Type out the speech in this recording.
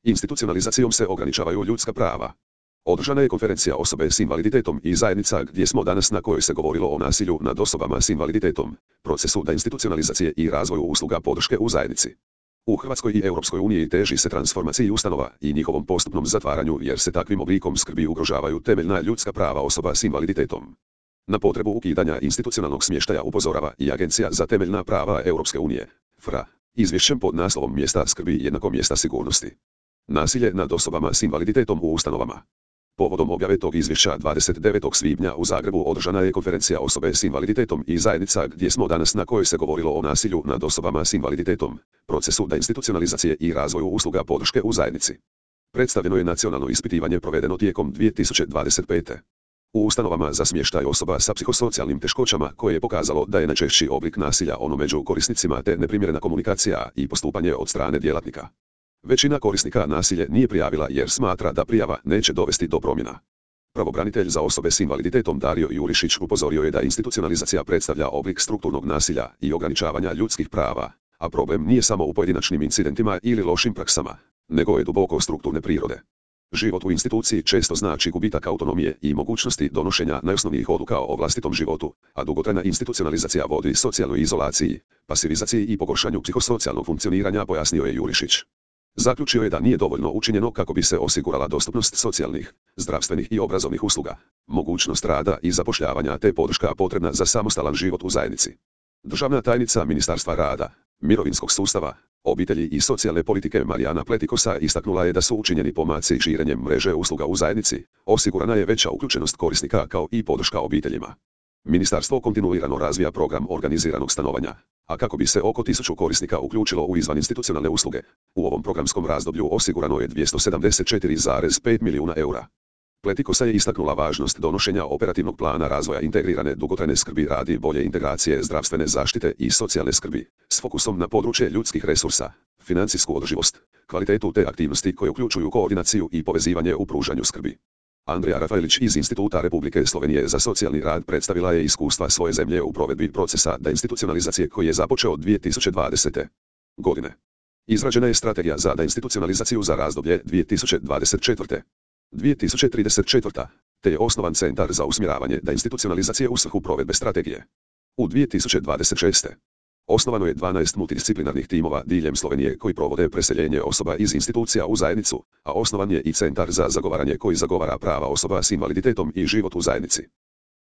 Institucionalizacijom se ograničavaju ljudska prava. Održana je konferencija osobe s invaliditetom i zajednica gdje smo danas na kojoj se govorilo o nasilju nad osobama s invaliditetom, procesu deinstitucionalizacije i razvoju usluga podrške u zajednici. U Hrvatskoj i Europskoj uniji teži se transformaciji ustanova i njihovom postupnom zatvaranju jer se takvim oblikom skrbi ugrožavaju temeljna ljudska prava osoba s invaliditetom. Na potrebu ukidanja institucionalnog smještaja upozorava i Agencija za temeljna prava Europske unije, FRA, izvješćem pod naslovom Mjesta skrbi jednako mjesta sigurnosti. Nasilje nad osobama s invaliditetom u ustanovama. Povodom objave tog izvješća 29. svibnja u Zagrebu održana je konferencija osobe s invaliditetom i zajednica gdje smo danas na kojoj se govorilo o nasilju nad osobama s invaliditetom, procesu deinstitucionalizacije i razvoju usluga podrške u zajednici. Predstavljeno je nacionalno ispitivanje provedeno tijekom 2025. u ustanovama za smještaj osoba sa psihosocijalnim teškoćama koje je pokazalo da je najčešći oblik nasilja ono među korisnicima te neprimjerena komunikacija i postupanje od strane djelatnika. Većina korisnika nasilje nije prijavila jer smatra da prijava neće dovesti do promjena. Pravobranitelj za osobe s invaliditetom Dario Jurišić upozorio je da institucionalizacija predstavlja oblik strukturnog nasilja i ograničavanja ljudskih prava, a problem nije samo u pojedinačnim incidentima ili lošim praksama, nego je duboko strukturne prirode. Život u instituciji često znači gubitak autonomije i mogućnosti donošenja najosnovnijih odluka o vlastitom životu, a dugotrajna institucionalizacija vodi socijalnoj izolaciji, pasivizaciji i pogoršanju psihosocijalnog funkcioniranja, pojasnio je Jurišić. Zaključio je da nije dovoljno učinjeno kako bi se osigurala dostupnost socijalnih, zdravstvenih i obrazovnih usluga, mogućnost rada i zapošljavanja te podrška potrebna za samostalan život u zajednici. Državna tajnica Ministarstva rada, mirovinskog sustava, obitelji i socijalne politike Marijana Pletikosa istaknula je da su učinjeni pomaci širenjem mreže usluga u zajednici, osigurana je veća uključenost korisnika kao i podrška obiteljima. Ministarstvo kontinuirano razvija program organiziranog stanovanja, a kako bi se oko 1000 korisnika uključilo u izvaninstitucionalne usluge, u ovom programskom razdoblju osigurano je 274,5 milijuna eura. Pletikosa je istaknula važnost donošenja operativnog plana razvoja integrirane dugotrajne skrbi radi bolje integracije zdravstvene zaštite i socijalne skrbi, s fokusom na područje ljudskih resursa, financijsku održivost, kvalitetu te aktivnosti koje uključuju koordinaciju i povezivanje u pružanju skrbi. Andrija Rafaelić iz Instituta Republike Slovenije za socijalni rad predstavila je iskustva svoje zemlje u provedbi procesa deinstitucionalizacije koji je započeo 2020. godine. Izrađena je strategija za deinstitucionalizaciju za razdoblje 2024. 2034. te je osnovan centar za usmjeravanje deinstitucionalizacije u svrhu provedbe strategije. U 2026. osnovano je 12 multidisciplinarnih timova diljem Slovenije koji provode preseljenje osoba iz institucija u zajednicu, a osnovan je i centar za zagovaranje koji zagovara prava osoba s invaliditetom i život u zajednici.